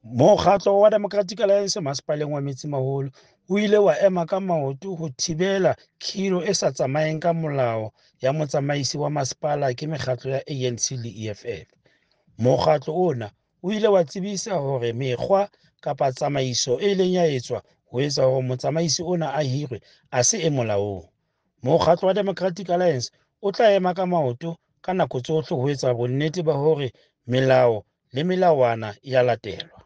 Mokgatlo wa Democratic Alliance Masepaleng wa Metsimaholo o ile wa ema ka maoto ho thibela khiro e sa tsamayeng ka molao ya motsamaisi wa masepala ke mekgatlo ya ANC le EFF. Mokgatlo ona o ile wa tsebisa hore mekgwa kapa tsamaiso e ileng ya etswa ho etsa hore motsamaisi ona a hirwe a se e molaong. Mokgatlo wa Democratic Alliance o tla ema ka maoto ka nako tsohle ho etsa bonnete ba hore melao le melawana e a latelwa.